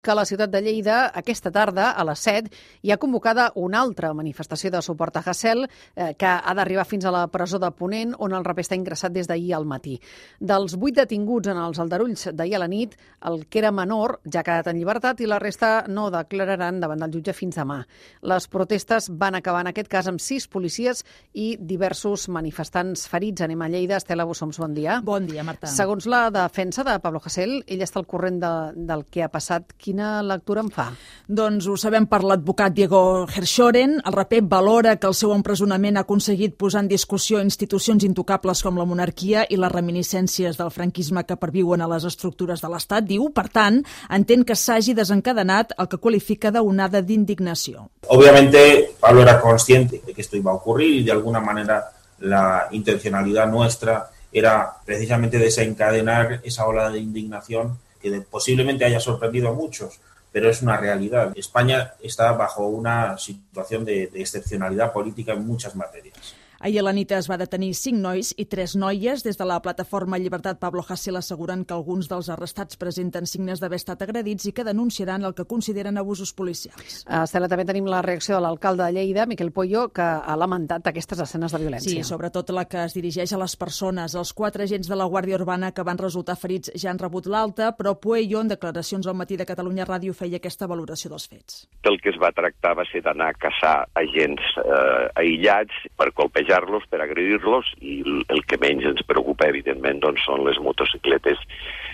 Que a la ciutat de Lleida, aquesta tarda, a les 7, hi ha convocada una altra manifestació de suport a Hasél, que ha d'arribar fins a la presó de Ponent, on el raper està ingressat des d'ahir al matí. Dels 8 detinguts en els aldarulls d'ahir a la nit, el que era menor ja ha quedat en llibertat i la resta no declararan davant del jutge fins demà. Les protestes van acabar en aquest cas amb 6 policies i diversos manifestants ferits. Anem a Lleida. Estela Bussoms, bon dia. Bon dia, Marta. Segons la defensa de Pablo Hasél, ell està al corrent del que ha passat. Quina lectura en fa? Doncs ho sabem per l'advocat Diego Herschoren. El raper valora que el seu empresonament ha aconseguit posar en discussió institucions intocables com la monarquia i les reminiscències del franquisme que perviuen a les estructures de l'Estat. Diu, per tant, entén que s'hagi desencadenat el que qualifica d'onada d'indignació. Obviamente, Pablo era consciente de que esto iba a ocurrir y de alguna manera la intencionalidad nuestra era precisamente desencadenar esa ola de indignación que posiblemente haya sorprendido a muchos, pero es una realidad. España está bajo una situación de excepcionalidad política en muchas materias. Ahir a la nit es va detenir 5 nois i 3 noies. Des de la plataforma Llibertat Pablo Hasél asseguren que alguns dels arrestats presenten signes d'haver estat agredits i que denunciaran el que consideren abusos policials. Estela, també tenim la reacció de l'alcalde de Lleida, Miquel Pueyo, que ha lamentat aquestes escenes de violència. Sí, sobretot la que es dirigeix a les persones. Els 4 agents de la Guàrdia Urbana que van resultar ferits ja han rebut l'alta, però Pueyo, en declaracions al matí de Catalunya Ràdio, feia aquesta valoració dels fets. El que es va tractar va ser d'anar a caçar agents aïllats per colpejar-los, per agredir-los, i el que menys ens preocupa, evidentment, doncs, són les motocicletes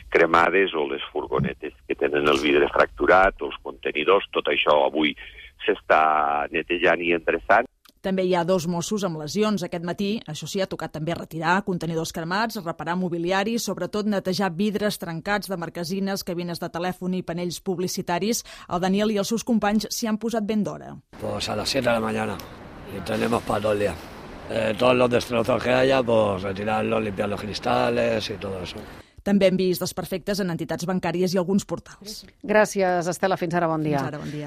cremades o les furgonetes que tenen el vidre fracturat, o els contenidors. Tot això avui s'està netejant i endreçant. També hi ha 2 Mossos amb lesions aquest matí. Això sí, ha tocat també retirar contenidors cremats, reparar mobiliari, sobretot netejar vidres trencats de marquesines, cabines de telèfon i panells publicitaris. El Daniel i els seus companys s'hi han posat ben d'hora. Pues a las 7 de la mañana y tenemos para todo el día. Todos los destrozos que haya, pues retirarlos, limpiar los cristales y todo eso. També hem vist desperfectes en entitats bancàries i alguns portals. Gràcies, Estela. Fins ara, bon dia. Fins ara, bon dia.